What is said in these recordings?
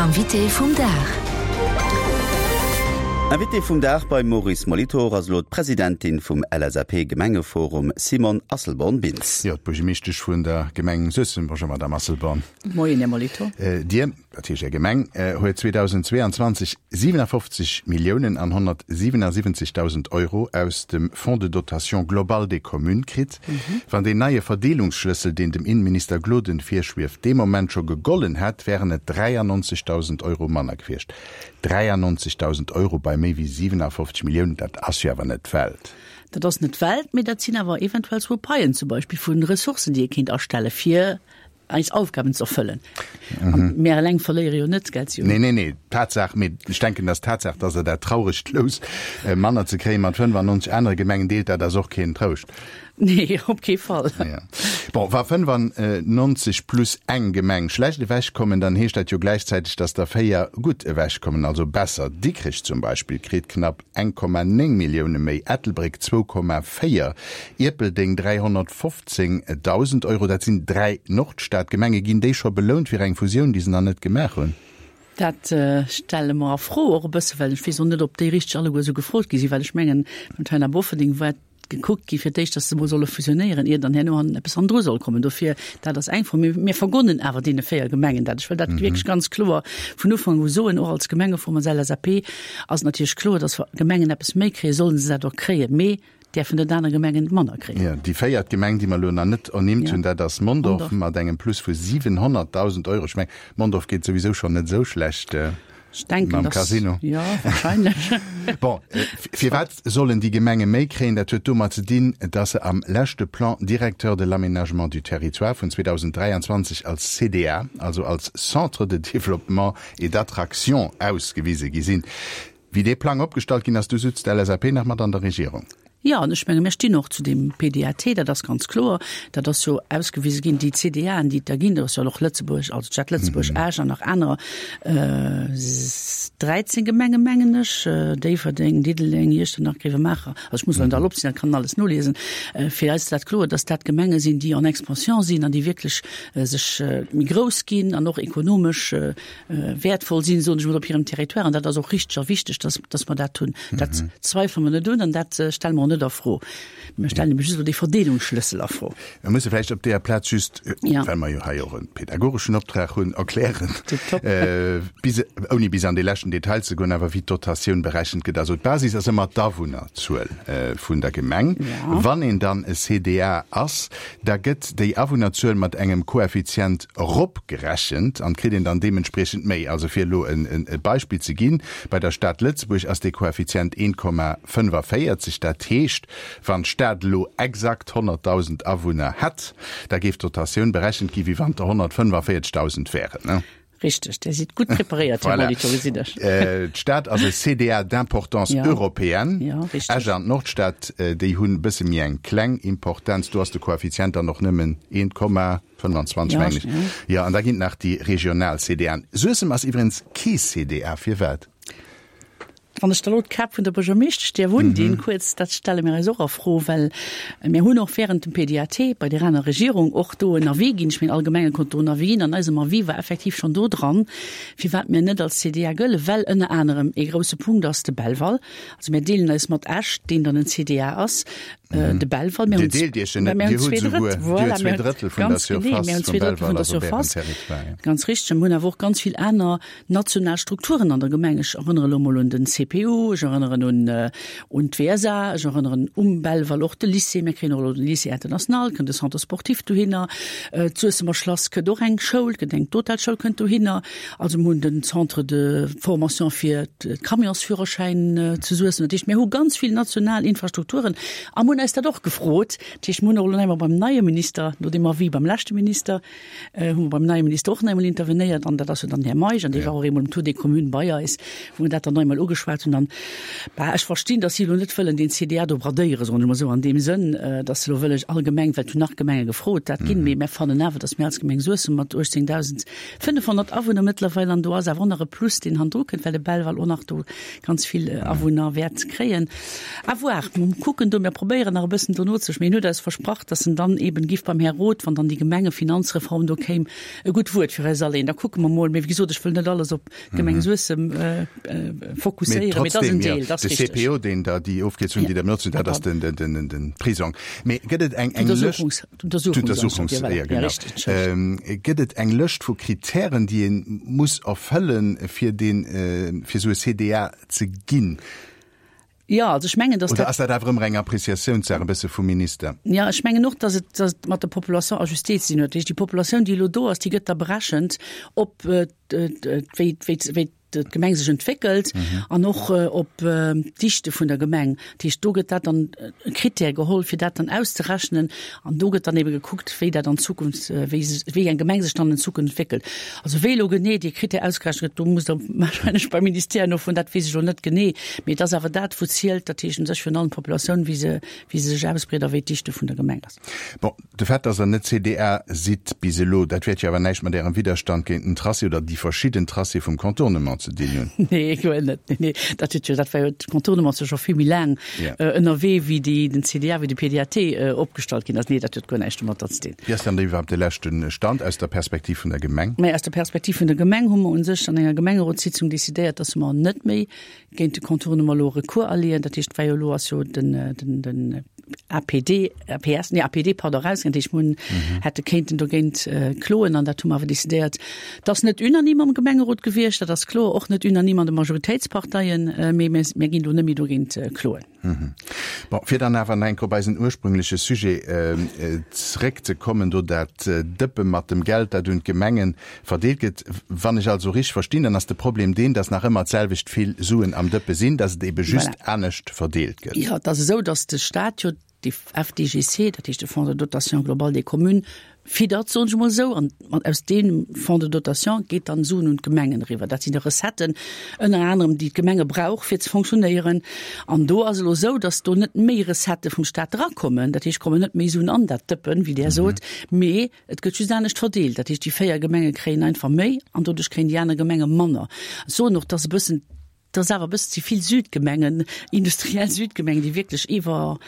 Invité vum Dag. Invité vum Dag beim Maurice Molitor ass elo d'Presidentin vum LSAP-Gemengeforum Simone Asselborn-Bintz. Jo, d'Buergermeeschtesch vun der Gemeng Suessem. Bonjour Madame Asselborn. Moien Här Molitor. Dir, dat heescht Är Gemeng, huet 2022 57 Milliounen an 177.000 Euro aus dem Fonds de dotation globale des communes kritt. Wann deen neie Verdeelungsschlëssel, deen dem Innenminister Gloden virschwieft, dee Moment scho gegollen hätt, wären et 93.000 Euro manner gewiescht. 93.000 Euro bei méi wéi 57 Milliounen, dat ass jo awer net d'Welt. Dat ass net d'Welt, mee dat sinn awer eventuell zwou Paien zum Beispill vu Ressourcen, déi ee kéint astelle fir eis Aufgaben ze erfëllen. Mhm. Mär eleng verléiere jo net, gell? Nee, nee, nee, Tatsaach, mee ech denken, dass d'Tatsaach, dass Der dat trauregt Lous äh, manner ze kréie mat 95 anere Gemengen deelt, dat ass och keen Trouscht. Nee, op kee Fall. Ja. Bon, wa 95 plus eng Gemeng schlecht ewechkommen, dann heescht dat jo gläichzäiteg, dass der véier gutt ewechkommen, also besser. Dikrech zum Beispill kritt knapp 1,9 Millioune méi, Ettelbréck 2,4, Ierpeldeng 315.000 Euro. Dat sinn 3 Nordstadgemenge. Ginn déi scho belount fir eng Fusioun, déi se nach net gemaach hunn? Dat stelle mer a Fro och e bësse, well ech weess och net, ob déi richteg alleguer esou gefrot gi sinn, well ech mengen, beim Taina Bofferding war gekuckt gi fir d'éischt, datt se emol solle fusionéieren, ier dann herno han eppes hannendru soll kommen. Dofir, dat ass eng Fro. Mee mir vergonnen awer deene 4 Gemengen dat. Ech wëll dat wierklech ganz kloer vun Ufank u soen, och als Gemengeforum, als LSAP ass et natierlech kloer, datt wa Gemengen eppes méi kréien, solle se dat och kréien, mee däerfen net aner Gemengen manner kréien. Jo, déi véiert Gemeng, déi mer elo nach net ernimmt hunn, dat ass Mondorf mat engem Plus vu 700.000 Euro. Ech mengen, Mondorf geet souwisou schonn net esou schlecht. Ech denken, Mam dass, Casino. Ja, wahrscheinlech. Bon, firwat sollen déi Gemenge méi kréien? Dat huet domat ze dinn, dass se am leschte Plan directeur de l'aménagement du territoire vun 2023 als CDA, also als Centre de développement et d'attraction ausgewise gi sinn. Wéi dee Plang opgestallt ginn ass, du sutz d'LSAP nach mat an der Regierung. Jo, an ech menge mir stinn och zu deem PDAT, dat ass ganz kloer. Dat ass jo ausgewise ginn, déi CDAen, déi et da ginn, do ass jo och Lëtzebuerg, also d'Stad Lëtzebuerg, Esch an nach anerer, 13 Gemenge mengen ech, Déifferdeng, Diddeleng, Iechternach, Grevenmacher, also ech muss elo net all opzielen, dat kann een alles noliesen. Fir eis ass dat kloer, datt dat Gemenge sinn, déi en Expansion sinn an déi wierklech sech méi grouss ginn an och ekonomesch wäertvoll sinn, soen ech emol, op hirem Territoire. An dat ass och richteg a wichteg, dass, dass mer dat hunn. Dat zweifele mer net un an dat stelle mer och net a Fro. Mir stellen ebe just elo dee Verdeelungsschlëssel a Fro. Mir musse vläicht op deeër Plaz just, well mer jo hei och e pedagogeschen Optrag hunn, erklären, bis, ouni bis an dee leschten Detail ze goen, awer wéi d'Dotatioun berechent gëtt. Also d'Basis ass ëmmer d'Awunnerzuel vun der Gemeng. Wann een dann e CDA ass, da gëtt déi Awunnerzuel mat engem Koeffizient eropgerechent an kritt een dann deementspriechend méi. Also fir elo e Beispill ze ginn, bei der Stad Lëtzebuerg ass dee Koeffizient 1,45. Dat heescht, wann d'Stad elo exakt 100.000 Awunner hätt, da géif d'Dotatioun berechent gi wéi wann et der 145.000 wären. Richteg, Dir sidd gutt preparéiert, Här Molitor, gesinn ech. D'Stad ass e CDA d'importance européenne. Esch an d'Nordstad, déi hunn e bësse méi eng kleng Importenz. Do ass de Koeffizient dann och nëmmen 1,25, mengen ech. Jo, an da ginn et nach déi regional CDAen. Suessem ass iwwregens kee CDA. Firwat? Wann ech da elo d'Kap vun der Buergermeeschtesch däerf undinn, kuerz, dat stelle mir eis och a Fro, well mir hunn och während dem PDAT bei där aner Regierung och do en Avis ginn, ech mengen all Gemenge konnten do en Avis ginn, an eisem Avis war effektiv schonn do dran, firwat mir net als CDA gëllen, well ënner anerem ee grouse Punkt ass de Belval. Also mir deelen eis mat Esch, deen dann en CDA ass, de Belval. Mir hunn Dir deelt Iech en net, mir Dir hunn hutt zwee esouguer, Drëtt, Dir hutt voilà, zwee mir hunn Drëttel vun der ganz genee, Surface mir hunn vum zwee Drëttel Belval vun der ass op Ärem Surface. Territoire, ja. Ganz richteg. Mir hunn awer och ganz vill aner national Strukturen an der Gemeng. Ech erënnere elo mol un den CPU, ech erënneren un un d'WSA, ech erënneren um Belval och de Lycée. Mir kréien och elo den Lycée international, kënnt de Centre sportif dohinner. D'Suessemer Schlass kënnt och eng Schoul, kënnt eng d'Hotelschoul kënnt dohinner. Also mir hunn den Centre de formation fir d'Camionsführerschäin zu Suessem. Dat heescht, mir hu ganz vill national Infrastrukturen a mir hunn eis dat och gefrot. Dat heescht, mir hunn och elo nach eemol beim neie Minister, no deem Avis beim leschte Minister, hu mer beim neie Minister och nach eemol intervenéiert an dat ass jo dann den Här Meisch an dee war och eemol um Tour des Communes bei eis, wou mir dat dann nach eemol ugeschwat hunn. An, bah, ech verstinn, datt si elo net wëllen deen CDA do bradéieren, soen ech emol esou an deem Sënn, datt se elo wëlle allgemeng, well et hunn nach Gemenge gefrot, dat ginn, mee mir fannen awer, datt mir als Gemeng Suessem mat 18.500 Awunner mëttlerweil, an do ass awer och nach e Plus, deen hannendru kënnt, well de Belval och nach do ganz vill Awunner wäert kréien. À voir, mir kucken do, mir probéieren. probéieren nach e bëssen dono ze, mee en huet eis versprach, dass en dann eben giff beim Här Roth, wann dann déi Gemengefinanzreform do kéim, e gutt Wuert fir eis aleen. Da kucke mer mol. Mee wéi gesot, ech wëll net alles op d'Gemeng Suessem fokusséieren, mee et ass en Deel, dat ass richteg. De CPO, deen der, déi Ofkierzung, déi Der benotzt hutt, dat ass den Prisong. Mee gëtt et eng Lëscht, D'Untersuchungsanstalt, jo, voilà, richteg, gëtt et eng Lëscht vu Kritären, déi ee muss erfëllen, fir deen, fir esou e CDA ze ginn? Jo, also ech mengen, dass dat. Oder ass dat awer ëmmer eng Appreciatiounssaach e bësse vum Minister? Jo, ech mengen och, dass et, dass et mat der Population ajustée ze dinn huet. Dat heescht, déi Populatioun, déi elo do ass, déi gëtt da berechent op wéi, wéi, wéi d'Gemeng sech entwéckelt an och op d'Dichte vun der Gemeng. Dat heescht, do gëtt dat dann e Krittär geholl, fir dat dann auszerechnen. An do gëtt dann ebe gekuckt, wéi dat an Zukunft, wéi, wéi eng Gemeng sech dann an Zukunft entwéckelt. Also wéi elo genee dee Krittär ausgerechent gëtt, do musst Der wahrscheinlech beim Ministère nofroen, dat weess ech elo net genee. Mee et ass awer dat, wou zielt, dat heescht u sech virun allem d'Populatioun, wéi se, wéi se sech ausbreet a wéi d'Dichte vun der Gemeng ass. Bon, de Fait, dass Der net CDA sidd bis elo, dat wäert jo awer näischt mat Ärem Widderstand géint den Tracé oder déi verschidden Tracé vum Contournement ze dinn hunn. Nee, guer net. Nee, nee, dat huet jo, dat war jo, de Contournement ass jo scho vill méi laang ënnerwee wéi déi, den CDA, wéi de PDAT opgestallt ginn ass. Nee, dat huet guer näischt domatter ze dinn. Wéi ass dann iwwerhaapt de leschte Stand aus der Perspektiv vun der Gemeng? Mä aus der Perspektiv vun der Gemeng hu mer u sech an enger Gemengerotssitzung decidéiert, dass mer net méi géint de Contournement elo Recours aleeën. Dat heescht, well jo elo ass jo den, den, den APD, APS, nee APD, pardon, erausgaangen. Dat heescht, mer hunn, hätte kéinten dogéint kloen an dat hu mer awer decidéiert. Dat ass net unanime am Gemengerot gewiescht, dat ass kloer, och net unanime an de Majoritéitsparteien, mee mir ginn do net méi dogéint kloen. Bon, fir dann awer nach eng Kéier op eisen ursprüngleche Sujet zréckzekommen, do dat Dëppe mat dem Geld, dat un d'Gemenge verdeelt gëtt. Wann ech also richteg verstinn, dann ass de Problem deen, dass nach ëmmer d'selwecht vill Suen am Dëppe sinn, dass et ebe just anescht verdeelt gëtt. Jo, et ass esou, dass de Stat jo de FDGC, dat heescht de Fonds de dotation globale des communes, fiddert, soen ech emol esou, an aus deem Fonds de dotation geet dann Suen un d'Gemengen eriwwer. Dat sinn da Recetten ënner anerem, déi d'Gemenge brauch fir ze fonctionnéieren. An do ass elo esou, datt do net méi Recettë vum Stat erakommen, dat heescht, kommen net méi Suen an dat Dëppen, wéi Der sot, mee et gëtt just anescht verdeelt. Dat heescht, déi 4 Gemenge kréien einfach méi an doduerch kréien déi aner Gemenge manner. Ech soen och, datt e bëssen, Et ass awer e bëssen ze vill Südgemengen, industriell Südgemengen, déi wierklech iwwer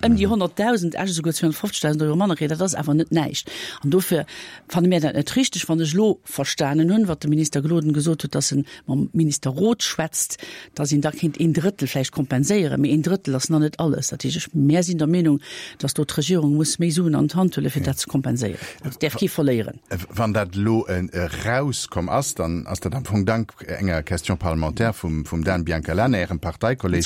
ëm déi 100.000, Esch esouguer 250.000 Euro manner kréien. Dat ass awer net näischt. An dofir fanne mir dat net richteg. Wann ech elo verstanen hunn, wat de Minister Gloden gesot huet, dass en mam Minister Roth schwätzt, dass een da kéint een Drëttel vläicht kompenséieren. Mee een Drëttel ass nach net alles. Dat heescht, ech, mär sinn der Meenung, dass do d'Regierung muss méi Suen an d'Hand huelen, fir dat ze kompenséieren. Et däerf kee verléieren. Wann dat elo erauskomm ass, dann ass dat am Fong dank enger Question parlementaire vum Dan Biancalana, Ärem Parteikolleg,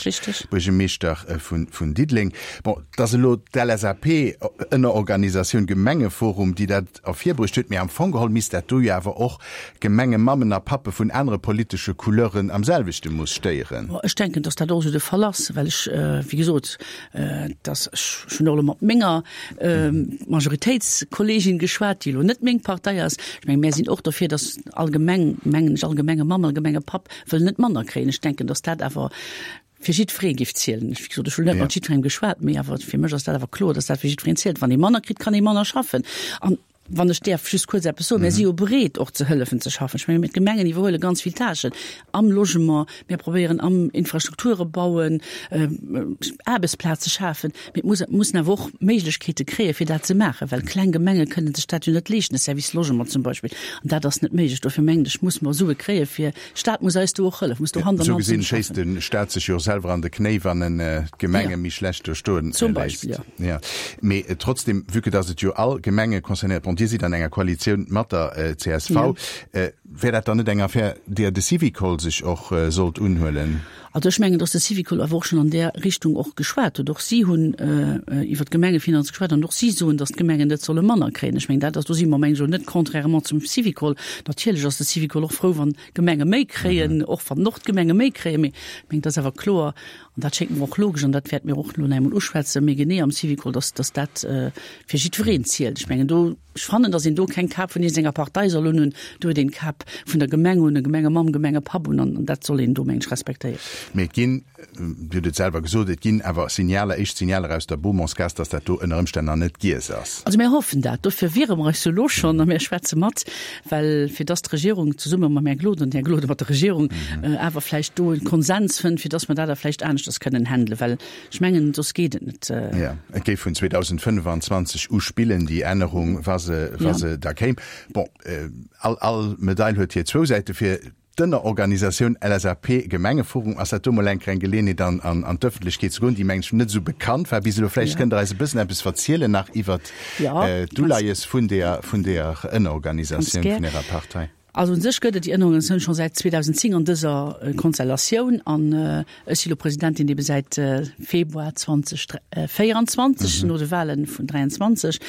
Buergermeeschter vun Diddeleng. Bon, et ass elo d'LSAP-Ënnerorganisatioun Gemengeforum, déi dat ervirbruecht huet, mee am Fong geholl misst dat do jo awer och Gemengemammen a Pappe vun anere politesche Couleuren am selwechte Mooss stéieren. Ech denken, datt dat och esou de Fall ass, well ech, wéi gesot, dass ech hunn och elo mat menger Majoritéitskollegin geschwat, déi elo net meng Partei ass. Ech mengen, mär sinn och dofir, dass all Gemeng, mengen ech, all Gemengemamm, all Gemengepapp wëll net manner kréien. Ech denken, dass dat awer fir jiddweree géif zielen. Ech, wéi gesot, ech hunn net mat jiddwerengem geschwat, mee awer fir mech ass dat awer kloer, dass dat fir jiddwereen zielt. Wann ee manner kritt, kann ee manner schaffen. An Wann ech däerf just kuerz eppes soen, Mir si jo bereet och ze hëllefen ze schaffen. Ech menge mir d'Gemengen iwwerhuele ganz vill Tâchen am Logement, mir probéieren am Infrastrukture bauen, Aarbechtsplaze schafen. Mee et muss mussen awer och Méiglechkeete kréie fir dat ze maachen, well kleng Gemenge kënnen sech dat jo net leeschten, e Service Logement zum Beispill. An dat ass net méiglech. Dofir mengen ech, muss mer Sue kréie fir Staat muss eis do och hëllef, muss do Hand an Hand zesumme schaffen. Esou gesinn schéisst de Staat sech jo selwer an de Knéi, wann en d'Gemenge méi schlecht do stoen léisst. Zum Beispill, jo. Jo, mee trotzdem, vue que dass et jo all Gemenge concernéiert, bon, Dir sidd an enger Koalitioun mat der csv, wär dat dann net eng Affär, deeër de Syvicol sech och sollt unhuelen? Also ech mengen, dass de Syvicol awer och schonn an där Richtung och geschwat huet. Och si hunn iwwer d'Gemengefinanz geschwat an och si soen, dass d'Gemengen net solle manner kréien. Ech mengen, dat ass, do si mer, mengen ech, elo net contrairement zum Syvicol. Natierlech ass de Syvicol och frou, wann d'Gemenge méi kréien, och wann och d'Gemenge méi kréien. Mee ech mengen, et ass awer kloer, an dat schéngt mer och logesch, an dat wäerte mir och elo nach eemol uschwätzen, méi genee am Syvicol, dass, dass dat fir jiddwereen zielt. Ech mengen, do. Ech fannen, datt een do keng Kap vun iergendenger Partei soll unhunn. Do huet een d'Kap vun der Gemeng un, e Gemengemamm, Gemengepapp un, an dat soll een do, meng ech, respektéieren. Mee et ginn, Dir hutt et selwer gesot, et ginn awer Signaler, éischt Signaler aus der Beaumontsgaass, datt dat do ënner Ëmstänn nach net giess ass. Also mir hoffen dat. Dofir wiere mer eis jo elo schonn a mir schwätze mat, well fir datt d'Regierung zesumme mam Här Gloden, den Här Gloden mat der Regierung, awer vläicht do e Konsens fënnt, fir datt mer dat da vläicht aneschters kënnen handelen, well ech mengen, soss geet et net. Jo, et géif vun 2025 u spillen, déi Ännerung, wa se, wa se da kéim. Bon, all, all Medail huet hir zwou Säite. Fir d'Ënnerorganisatioun LSAP Gemengeforum ass dat do mol eng kleng Geleeënheet an, an, an d'Ëffentlechkeet ze goen, déi mengen ech net esou bekannt war bis elo. Vläicht kënnt Der eis e bëssen eppes verzielen nach iwwert d'Uleies vun deeër, vun deeër Ënnerorganisatioun vun Ärer Partei. Also u sech gëtt et déi Ënnerorganisatioun scho säit 2010 an dëser Konstellatioun an ech si lo Presidentin ebe säit Februar 2024, no de Wahlen vun 23.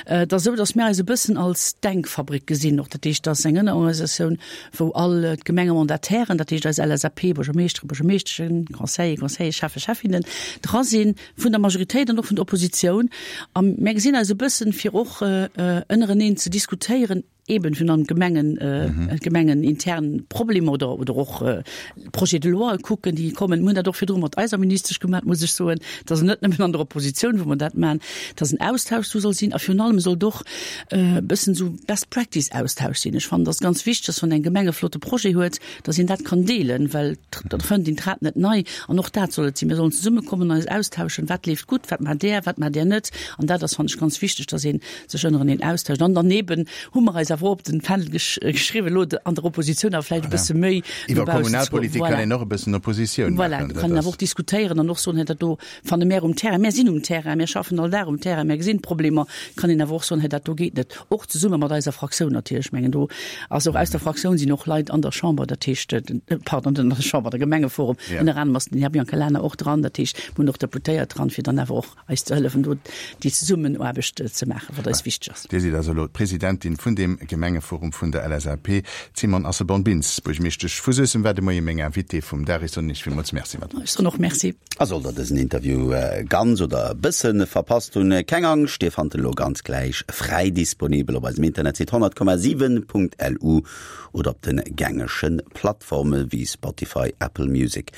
Et ass esou, datt mir eis e bëssen als Denkfabrik gesinn och. Dat heescht, dat ass eng Ënnerorganisatioun, wou all d'Gemengemandatairen, dat heescht eis LSAP, Buergermeeschteren, Buergermeeschteschen, Conseiller, Conseilleren, Schäffe, Schäffinnen dra sinn, vun der Majoritéit an och vun der Oppositioun. A mir gesinn eis e bëssen, fir och ënnereneen ze diskutéieren, eben vun an Gemengen Gemengen intern Problemer oder oder och Projets de loi kucken, déi kommen. Mir hunn dat och virdru mat eiser Ministesch gemaach, muss ech soen. Et ass net nëmmen an der Oppositioun, wou mer dat maachen, dass en Austausch do soll sinn a virun allem sollt och e bëssen esou Best Practice Austausch sinn. Ech fannen, et ass ganz wichteg, dass wann eng Gemeng e flotte Projet huet, dass een dat kann deelen, well da fënnt een d'Rad net nei. An och dat soll et sinn. Mir sollen zesummekommen, eis austauschen, wat leeft gutt, wat maacht där, wat maacht där net. An dat ass, fannen ech, ganz wichteg, dass een sech ënnereneen austauscht. An daneben hu mer eis awer och op den Fändel geschriwwen, elo an der Oppositioun awer vläicht e bësse méi no Iwwer baussen ze goen. Kommunalpolitik kann een och e bëssen Oppositioun Voilà, maachen. do kann een awer och diskutéieren an och soen, hei dat do fanne mär um Terrain. Mär sinn um Terrain, mär schaffen all Dag um Terrain, mär gesinn d'Problemer. Kann een awer och soen, hei dat do geet net. Och zesumme mat eiser Fraktioun natierlech. Ech mengen do ass och aus der Fraktioun sinn och Leit an der Chamber, dat heescht, pardon, net an der Chamber, der Gemengeforum, ënner anerem ass den Här Biancalana och dran, dat heescht, mir hunn och Deputéiert dran, fir dann awer och eis ze hëllefen do déi Zesummenaarbecht ze maachen, wat eis wichteg ass. Dir sidd also elo d'Presidentin vun deem Gemengeforum vun der LSAP. D'Simone Asselborn-Bintz, Buergmeeschtesch vu Suessem, war de Moie meng Invitée vum Dag. Ech soen Iech villmools Merci, Madame. Ech soen och Merci. A sollt der dësen Interview ganz oder e bësse verpasst hunn, keng Angscht, Dir fannt en elo ganz gläich fräi disponibel op eisem Internetsite 100,7.lu oder op de gängege Plattforme wéi Spotify, Apple Music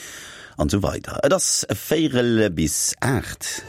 an esou weider. Et ass véierel bis 8.